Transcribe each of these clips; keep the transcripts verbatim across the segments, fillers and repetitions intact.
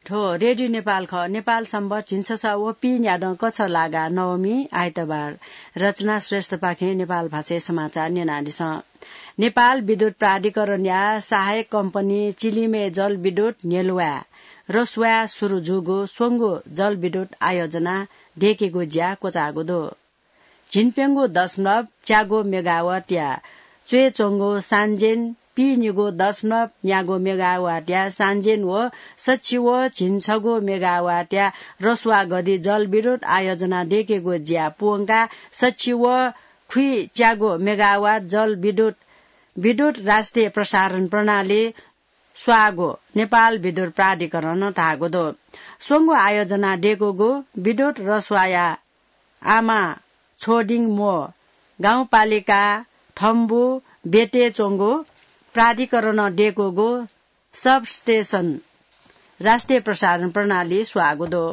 थ्व रेडियो नेपाल खः। नेपाल सम्बत झिंछसः व पीन्यादँ कछलागा नवमी आइतबार। रचना श्रेष्ठपाखें नेपाल भाषाय् समाचार न्यनादिसँ। नेपाल विद्युत प्राधिकरणया सहायक कम्पनी चिलिमय् जलविद्युत न्ह्यलुवाय् रसुवाय् सुरु जूगु स्वंगू जलविद्युत आयोजना दय्केगु ज्या क्वचाःगु दु। झिंप्यंगू दशमलव च्यागू मेगावाटया च्वय् च्वंगु सान्जेन, पीनिगू दशमलव न्यागू मेगावाटया सान्जेन व सछि व झिंछगू मेगावाटया रसुवा गद्दी जलविद्युत आयोजना दय्केगु ज्या पूवंकाः सछि व खुइच्यागू मेगावाट जलविद्युत विद्युत राष्ट्रिय प्रसारण प्रणाली स्वाःगु नेपाल विद्युत प्राधिकरणं धाःगु दु। स्वंगू आयोजना दय्कूगु विद्युत रसुवाया आमा छोडिङ मोः गाउँपालिका थम्बु बेटे च्वंगु प्राधिकरणं दय्कूगु सबस्टेसन राष्ट्रिय प्रसारण प्रणाली स्वाःगु दु।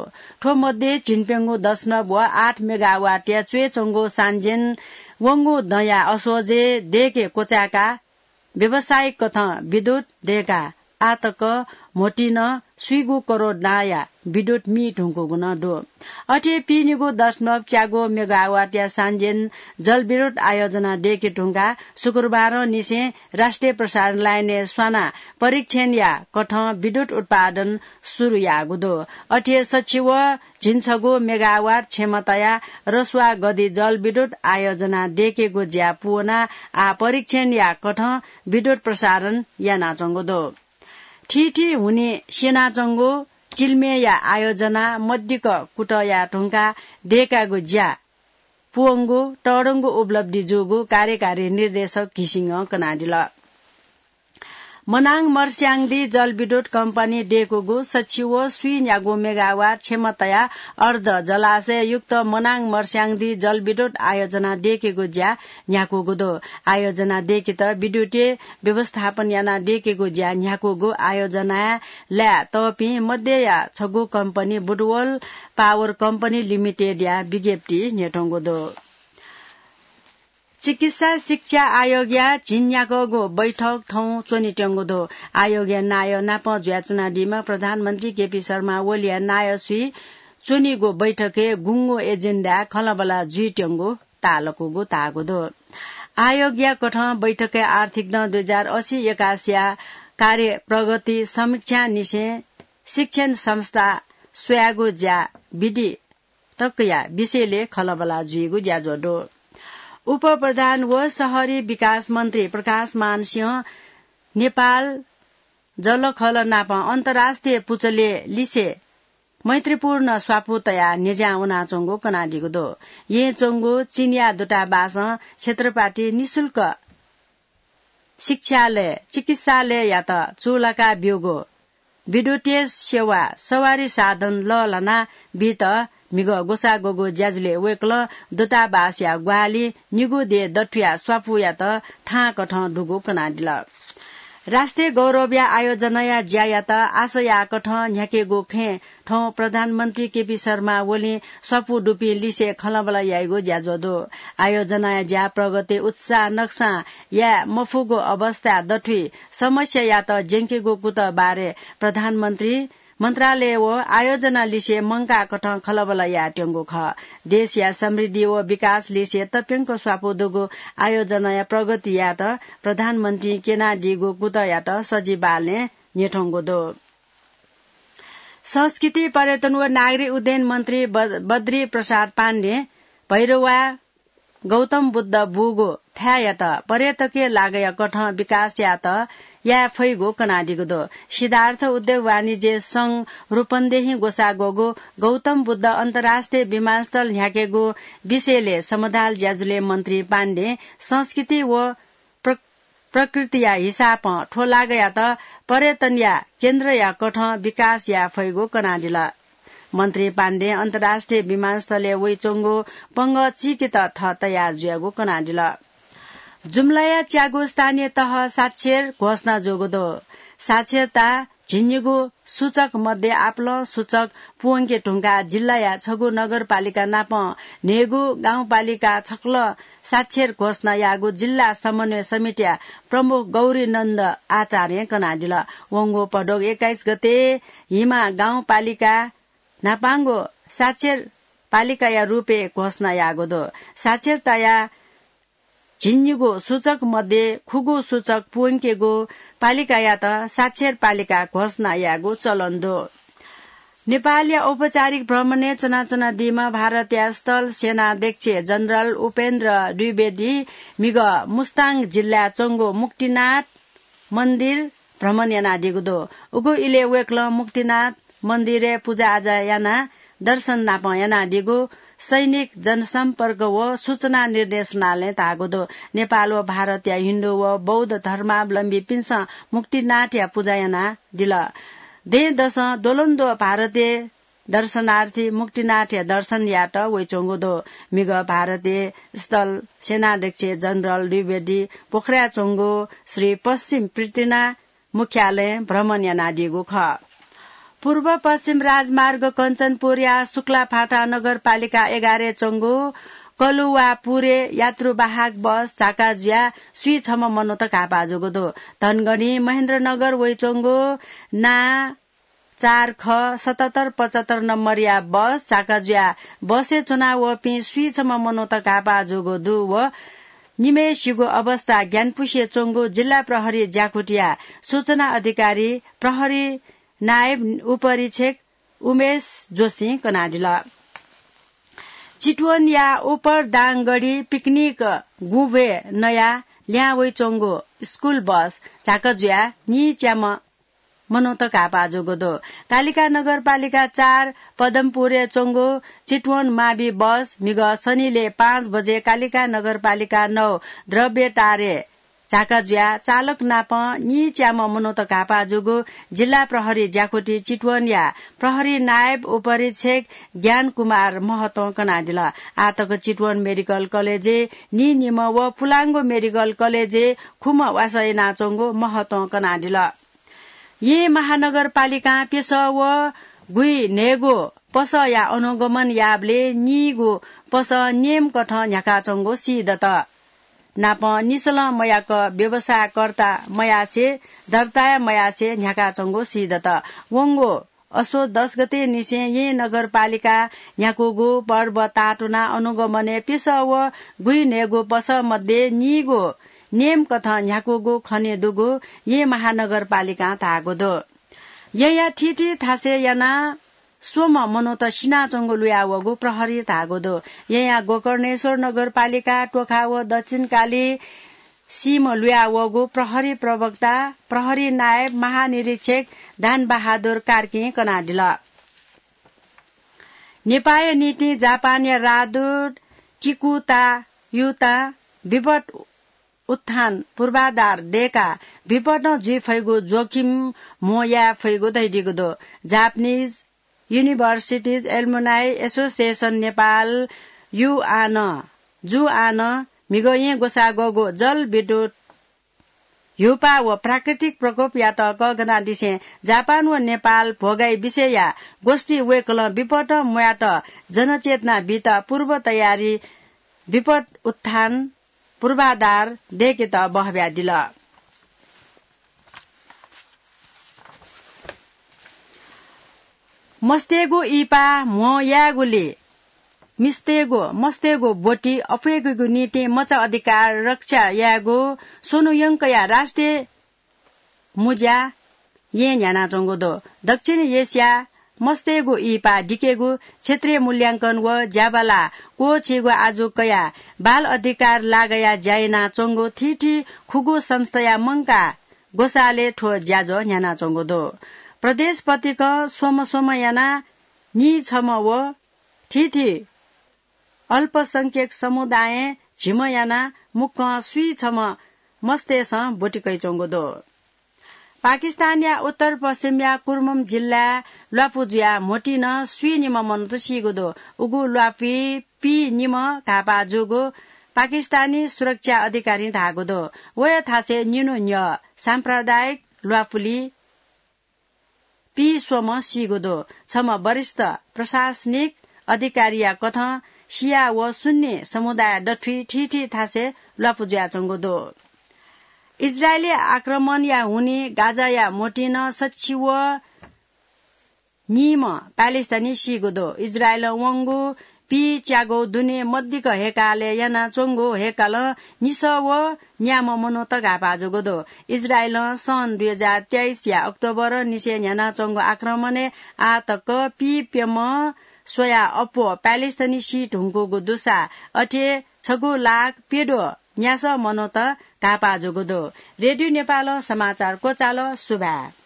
थ्व मध्ये झिंप्यंगू दशमलव व आठ मेगावाटया च्वय् च्वंगु सान्जेन वंगु दँया असोजय् दय्के क्वचाय्काः व्यावसायिक कथं विद्युत दय्काः आःतक म्होतिं नं स्वीगू करोड नांया विद्युत मी धुंकूगु नं दु। अथे पीनिगू दशमलव च्यागू मेगावाटया सान्जेन जलविद्युत आयोजना दय्के धुंकाः शुक्रबारंनिसें राष्ट्रिय प्रसारण लाइनय् स्वानाः परीक्षणया कथं विद्युत उत्पादन सुरु याःगु दु। अथे सछि व झिंछगू मेगावाट क्षमताया रसुवा गद्दी जलविद्युत आयोजना दय्केगु ज्या पूवनाः आः परीक्षणया कथं विद्युत प्रसारण यानाच्वंगु दु। थीथी हुनिं स्यनाच्वंगु चिल्मेया आयोजना मदिक्क कुतः याये धुंकाः दय्कागु ज्या पूवंगु तःधंगु उपलब्धि जूगु कार्यकारी निर्देशक घिसिङं कनादिल। मनाङ मर्स्याङदी जलविद्युत कम्पनी दय्कूगु सछि व स्वीन्यागू मेगावाट क्षमताया अर्ध जलाशययुक्त मनाङ मर्स्याङदी जलविद्युत आयोजना दय्केगु ज्या न्ह्याकूगु दु। आयोजना दय्केत विद्युतीय व्यवस्थापन यानाः दय्केगु ज्या न्ह्याकूगु आयोजनाय् लाय् तःपिं मध्यया छगू कम्पनी बुटवल पावर कम्पनी लिमिटेडया विज्ञप्ति न्ह्यथंगु दु। चिकित्सा शिक्षा आयोगया झिंन्याक्वःगु बैठक थौं च्वनेत्यंगु दु। आयोगया नायः नाप जुयाच्वनादीम्ह प्रधानमन्त्री केपी शर्मा ओलीया नायः स्वयाः च्वनीगु बैठकय् गुंगू एजेन्डाय् खँल्हाबल्हा जुइत्यंगु ताःलाकूगु धाःगु दु। आयोगया कथं बैठकय् आर्थिक दँ दुई हजार असी एकासीया कार्य प्रगति समीक्षांनिसें शिक्षण संस्था स्वयागु ज्या विधि तकया विषयलय् खँल्हाबल्हा जुइगु ज्याझ्वः दु। उपप्रधान व शहरी विकास मन्त्री प्रकाशमान सिंहं नेपाल जलखल नाप अन्तर्राष्ट्रिय पुचलय् लिसे मैत्रीपूर्ण स्वापू तयाः न्ह्यज्यां वनाच्वंगु कनादीगु दु। येँय् च्वंगु चीनया दूतावासं क्षेत्रपाटी निशुल्क शिक्षालय, चिकित्सालययात चूलाका ब्यूगु विद्युतीय सेवा, सवारी साधन लःल्हाना बीत म्हिगः ग्वसाः ग्वःगु ज्याझ्वलय् वय्कलं दूतावासया ग्वाहालिं निगू देय् दथुया स्वापूयात थांकथं दुगु कनादिल। राष्ट्रिय गौरवया आयोजनाया ज्यायात आशा याःकथं न्ह्याकेगु खँय् थौं प्रधानमन्त्री केपी शर्मा ओलीं स्वापू दुपिं लिसे खँल्हाबल्हा याइगु ज्याझ्वः दु। आयोजनाया ज्या प्रगति उत्साह नकसां याये मफुगु अवस्था दथुइ समस्यायात ज्यंकेगु कुतः बारे प्रधानमन्त्री मन्त्रालय व आयोजना लिसे मंकाःकथं खँल्हाबल्हा यायेत्यंगु खः। देशया समृद्धि व विकास लिसे तप्यंक स्वापू दुगु आयोजनाया प्रगति यायेत प्रधानमन्त्रीं क्यनादीगु कुतःयात सजिबालय् न्ह्यथंगु दु। संस्कृति, पर्यटन व नागरिक उड्डयन मन्त्री ब-, बद्री प्रसाद पाण्डें भैरवा गौतम बुद्ध बूगु थाय्‌यात पर्यटकीय लागय् कथं विकास यायेत याये फइगु कनादीगु दु। सिद्धार्थ उद्योग वाणिज्य संघ रूपन्देही ग्वसाः ग्वःगु गौतम बुद्ध अन्तर्राष्ट्रिय विमानस्थल न्ह्याकेगु विषयलय् समधाल ज्याझ्वलय् मन्त्री पाण्डें संस्कृति व प्र-, प्रकृतिया हिसाबं थ्व लागय्‌यात पर्यटनया केन्द्रया कथं विकास याये फइगु कनादिल। मन्त्री पाण्डें अन्तर्राष्ट्रिय विमानस्थलय् वइच्वंगु पंगः चीकेत थः तयार जुयागु कनादिल। जुम्लाया च्यागू स्थानीय तह साक्षर घोषणा जूगु दु। साक्षरता झिंनिगू सूचक मध्ये आपालं सूचक पूवंके धुंकाः जिल्लाया छगू नगरपालिका नाप न्हय्गू गाउँपालिका छकलं साक्षर घोषणा याःगु जिल्ला समन्वय समितिया प्रमुख गौरीनन्द आचार्यं कनादिल। वंगु भदौ एक्काइस गते हिमा गाउँपालिका न्हापांगु साक्षर पालिकाया रूपय् घोषणा याःगु दु। साक्षरताया झिंनिगू सूचक मध्ये खुगू सूचक पूवंकेगु पालिकायात साक्षर पालिका घोषणा यायेगु चलन दु। नेपालया औपचारिक भ्रमणय् च्वनाच्वनादीम्ह भारतया स्थल सेनाध्यक्ष जनरल उपेन्द्र द्विवेदी म्हिगः मुस्ताङ जिल्लाय् च्वंगु मुक्तिनाथ मन्दिर भ्रमण यानादीगु दु। उगु इलय् वय्कलं मुक्तिनाथ मन्दिरय् पुजाआजा यानाः दर्शन नाप यानादीगु सैनिक जनसम्पर्क व सूचना निर्देशनालयं धाःगु दु। नेपाल व भारतया हिन्दू व बौद्ध धर्मावलम्बीपिन्सं मुक्तिनाथया पुजा यानादिल। दँय्‌दसं द्वलंद्वः भारतीय दर्शनार्थी मुक्तिनाथया दर्शन यायेत वइच्वंगु दु। म्हिगः भारतीय स्थल सेनाध्यक्ष जनरल द्विवेदी पोखराय् च्वंगु श्री पश्चिम पृथ्वीनाथ मुख्यालयं भ्रमण यानादीगु खः। पूर्व पश्चिम राजमार्ग कञ्चनपुरया शुक्लाफाटा नगरपालिका एघारय् च्वंगु कलुवापुरय् यात्रुवाहक बस झाका जुयाः स्वीछम्ह मनूत घाःपाः जूगु दु। धनगढी महेन्द्रनगर वइच्वंगु ना चार ख सतहत्तर पचहत्तर नम्बरया बस झाका जुयाः बसय् च्वनावःपिं स्वीछम्ह मनूत घाःपाः जूगु दु व निम्हय्सिगु अवस्था ग्यानापुसे च्वंगु जिल्ला प्रहरी ज्याकुथिया सूचना अधिकारी प्रहरी नायब उपरीक्षक उमेश जोशीं कनादिल। चितवनया उपरदाङगढी पिकनिक गुँभ्वय् नयाः ल्याहां वइच्वंगु स्कुल बस झाका जुयाः नीच्याम्ह मनूत घाःपाः जूगु दु। कालिका नगरपालिका चार पदमपुरय् च्वंगु चितवन मावि बस म्हिगः सनिलय् पाँच बजे कालिका नगरपालिका नौ द्रव्यटारय् झाका जुयाः चालक नाप नीच्याम्ह मनूत घाःपाः जूगु जिल्ला प्रहरी ज्याकुथि चितवनया प्रहरी नायब उपरीक्षक ज्ञान कुमार महतं कनादिल। आःतक चितवन मेडिकल कलेजय् नीनिम्ह व पुलांगु मेडिकल कलेजय् खुम्ह वासः यानाच्वंगु महतं कनादिल। येँ महानगरपालिकां प्यसः व गुइन्हय्गू पसःया अनुगमन याःबलय् नीगू पसः नेमकथं न्ह्याकाच्वंगु सीदत। नाप निसलं मयाक व्यवसायकर्ता मयासें, दर्ता मयासें न्ह्याकाच्वंगु सीदत। वंगु असोज दस गतेनिसें येँ नगरपालिकां न्ह्याकूगु पर्व ताःतुनाः अनुगमनय् प्यसः व गुइन्हय्गू पसः मध्ये नीगू नेमकथं न्ह्याकूगु खनेदुगु येँ महानगरपालिकां धाःगु दु। येँया थीथी थासय् यानाः स्वम्ह मनूत सिनाच्वंगु लुयावःगु प्रहरीं धाःगु दु। येँया गोकर्णेश्वर नगरपालिका, टोखा व दक्षिणकाली सीम्ह लुयावःगु प्रहरी प्रवक्ता प्रहरी नायब महानिरीक्षक दानबहादुर कार्कीं कनादिल। नेपाःया निंतिं जापानया राजदूत किकुता युतां विपद उत्थान पूर्वाधार दय्काः विपदं जुइफइगु जोखिम म्हो याये फइगु धयादीगु दु। Japanese Universities Alumni Association Nepal, युआन, जुआन, म्हिगः येँ ग्वसाःग्वःगु जलविद्युत ह्यूपाः व प्राकृतिक प्रकोपयात कःघनादिसें जापान व नेपाल भोगाइ विषयया गोष्ठी वय्कलं विपदं म्वायेत जनचेतना बीत पूर्व तयारी विपद उत्थान पूर्वाधार दय्केत बहःब्यादिल। मस्तय्गु इहिपाः म्हो यायेगुलिं मिस्तय्गु, मस्तय्गु ब्वति अप्वय्केगु निंतिं मचा अधिकार रक्षा यायेगु स्वन्हु यंकया राष्ट्रिय मुँज्या येँ न्ह्यानाच्वंगु दु। दक्षिण एसिया मस्तय्गु इहिपाः दिकेगु, क्षेत्रीय मूल्यांकन व ज्याबाला क्वःछीगु आजु कयाः बाल अधिकार लागाया ज्या यानाच्वंगु थीथी खुगू संस्थाया मंकाः ग्वसालय् थ्व ज्याझ्वः न्ह्यानाच्वंगु दु। प्रदेश पतिकं स्वम्ह स्वम्ह यानाः नीछम्ह व थीथी अल्पसंख्यक समुदायं झिम्ह यानाः मुक्कं स्वीछम्ह मस्तय्सं ब्वति कयाच्वंगु दु। पाकिस्तानया उत्तर पश्चिमया कुर्मम जिल्लाय् ल्वापु जुयाः म्होतिं स्वीनिम्ह मनूत सीगु दु। उगु ल्वापुइ पीनिम्ह घाःपाः जूगु पाकिस्तानी सुरक्षा अधिकारीं धाःगु दु। वया थासय् निन्हु न्ह्यः साम्प्रदायिक ल्वापुलि पीस्वम्ह सीगु दु। छम्ह वरिष्ठ प्रशासनिक अधिकारीया कथं सिया व सुन्नी समुदाय दथुइ थीथी थासय् ल्वापु जुयाच्वंगु दु। इजरायली आक्रमणया हुनिं गाजाया मोटिं सच्छि व नीम्ह प्यालेस्टाइनी सीगु दु। इजरायलं वंगु पीच्यागु दुने मदिक्क हेकालय् यानाच्वंगु हेकालं निसः व न्याम्ह मनूत घाःपाः जूगु दु। इजरायलं सन् दुई हजार तेइसया अक्टोबर निसें न्ह्यानाच्वंगु आक्रमणय् आः तक पीप्यम्ह स्वयाः अप्वः प्यालेस्टाइनी सी धुंकूगु दुसा अथे छगू लाख प्यद्वः न्यासः मनूत घाःपाः जूगु दु। रेडियो नेपालं समाचार क्वचाल। सुभाय्।